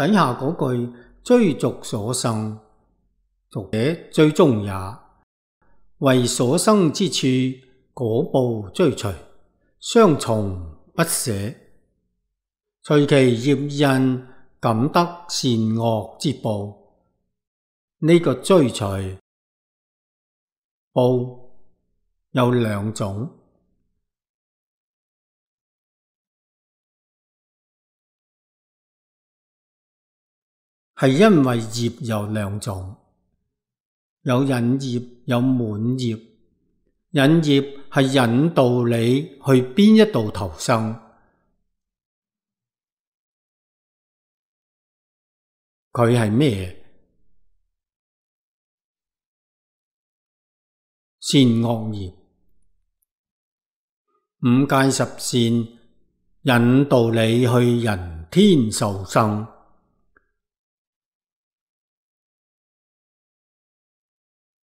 底下嗰句追逐所生，俗者追蹤也，為所生之處果報追隨，相從不捨，隨其業因，感得善惡之報。呢個追隨報有兩種，係因為業有兩種，有引業，有滿業。引業係引導你去邊一度投生，佢係咩？善惡業，五戒十善引導你去人天受生。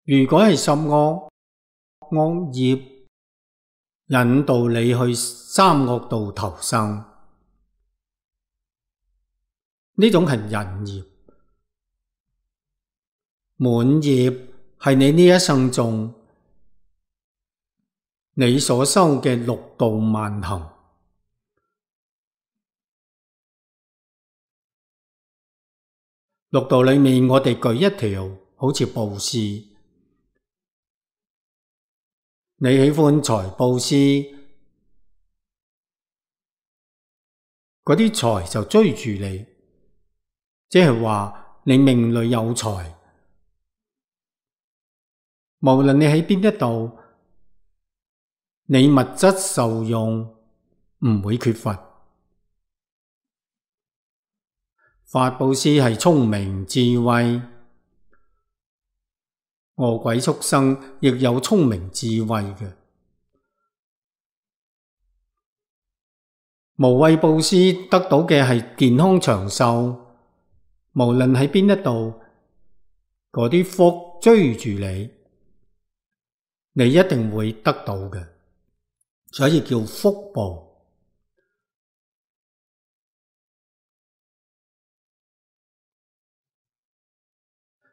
如果係十惡業引導你去三惡道投生，呢種係引業。滿業係你呢一生中你所修嘅六度萬行。六道裏面，我哋舉一條，好似布施。你喜歡財布施，嗰啲財就追住你，即係話你命裏有財，無論你喺邊一度，你物質受用唔會缺乏。法布施係聰明智慧，餓鬼畜生亦有聰明智慧嘅。無畏布施得到嘅係健康長壽，無論喺邊一度，嗰啲福追住你，你一定會得到嘅，所以叫福報。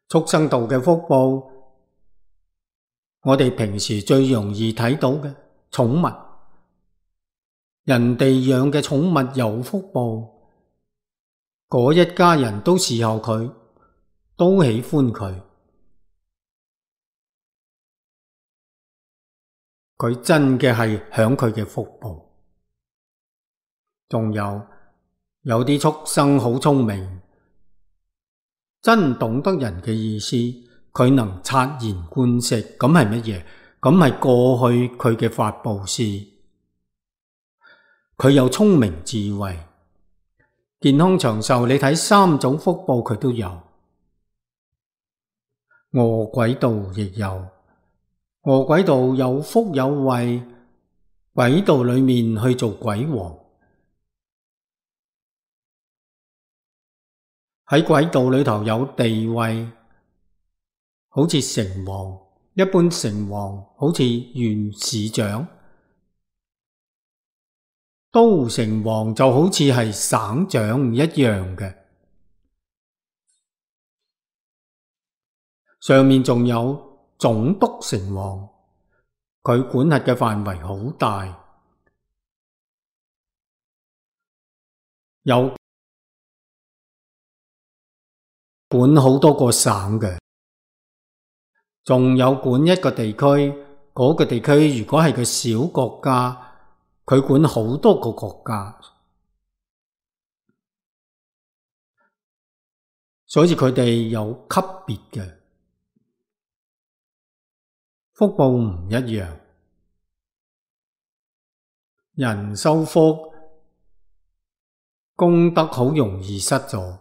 畜生道嘅福報，我哋平時最容易睇到嘅寵物，人哋養嘅寵物有福報，嗰一家人都侍候佢，都喜歡佢，佢真嘅係享佢嘅福報。仲有啲畜生好聰明，真懂得人嘅意思，佢能察言觀色，咁係乜嘢？咁係過去佢嘅法布施，佢有聰明智慧，健康長壽。你睇三種福報佢都有，餓鬼道亦有，餓鬼道有福有慧，鬼道裏面去做鬼王。喺鬼道裏頭有地位，好似城隍，一般城隍好似縣市長，都城隍就好似係省長唔一樣嘅。上面仲有總督城隍，佢管轄嘅範圍好大，有管好多個省嘅，仲有管一個地區，嗰個地區如果係個小國家，佢管好多個國家，所以佢哋有級別嘅福報唔一樣。人修福，功德好容易失咗，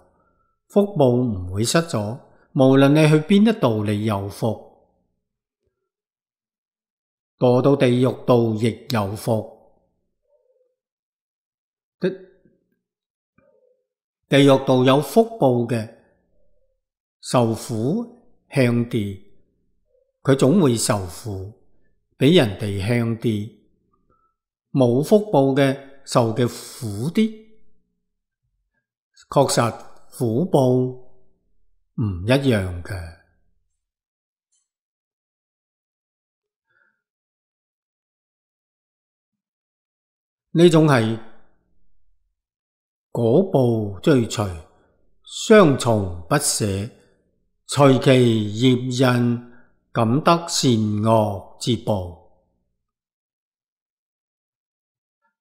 福報唔會失咗，無論你去邊一度，你有福，墮到地獄道亦有福。地獄道有福報嘅，受苦輕啲，佢總會受苦，比人哋輕啲。冇福報嘅受嘅苦啲，確實苦報唔一樣嘅。呢種係果報追隨，雙重不捨，隨其業因，感得善惡之報。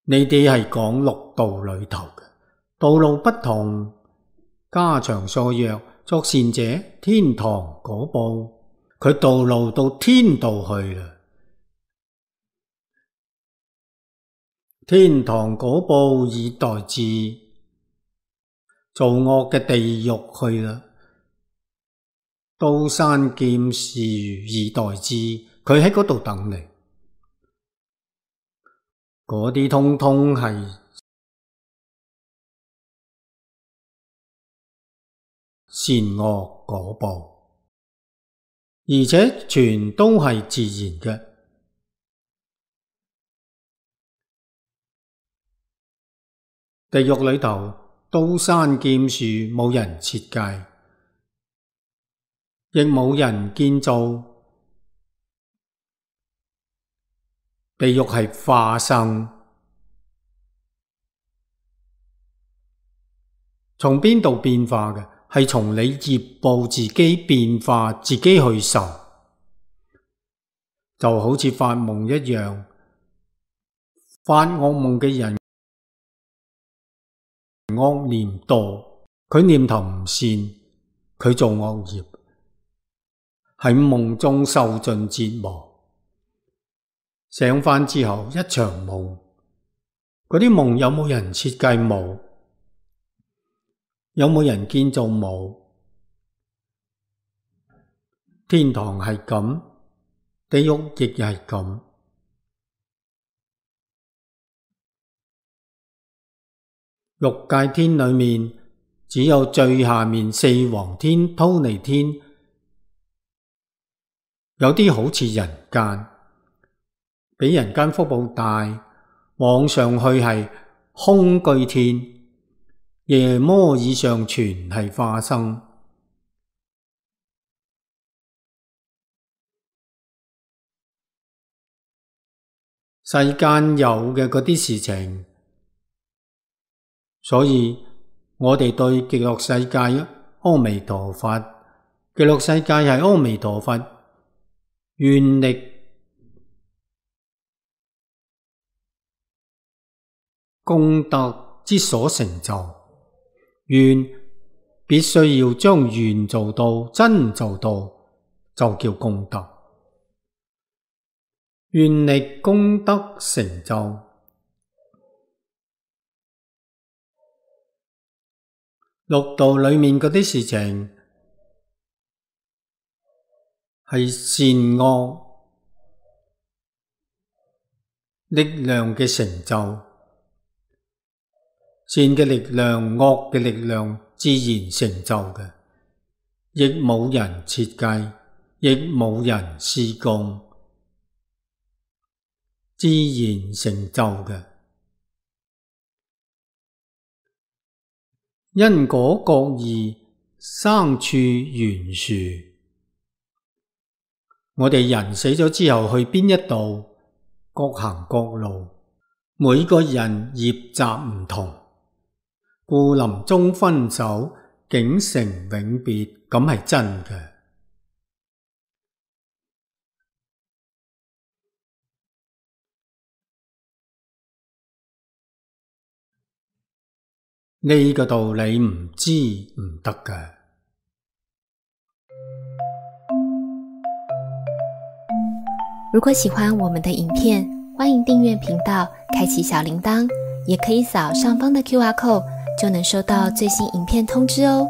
呢啲係講六道裏頭嘅，道路不同，家長數弱，作善者天堂果報，佢道路到天道去啦。天堂果報以待之，做惡嘅地獄去啦。刀山劍樹以待之，佢喺嗰度等你。嗰啲通通係善惡果報，而且全都係自然嘅。地獄裏頭，刀山劍樹冇人設計，亦冇人建造。地獄係化生，從邊度變化嘅？係從你業報自己變化，自己去受，就好似發夢一樣。發惡夢嘅人惡念多，佢念頭唔善，佢做惡業，喺夢中受盡折磨，醒返之後一場夢。嗰啲夢有冇人設計？冇。有冇人建造？冇。天堂係咁，地獄亦係咁。欲界天裏面只有最下面四皇天、忉利天，有啲好似人間，比人間福報大。往上去係空居天，夜摩以上全係化生。世間有嘅嗰啲事情，所以我哋對極樂世界阿彌陀佛，極樂世界係阿彌陀佛願力功德之所成就，願必須要將願做到，真做到就叫功德。願力功德成就，六道裏面嗰啲事情係善惡力量嘅成就。善嘅力量、惡嘅力量自然成就嘅，亦冇人設計，亦冇人施工，自然成就嘅。因果各異，生處懸殊。我哋人死咗之後去邊一度，各行各路，每個人業習唔同，故臨終分手，竟成永別，咁係真嘅。呢個道理唔知唔得㗎。如果喜歡我們的影片，歡迎訂閱頻道，開啟小鈴鐺，也可以掃上方的QR code，就能收到最新影片通知哦。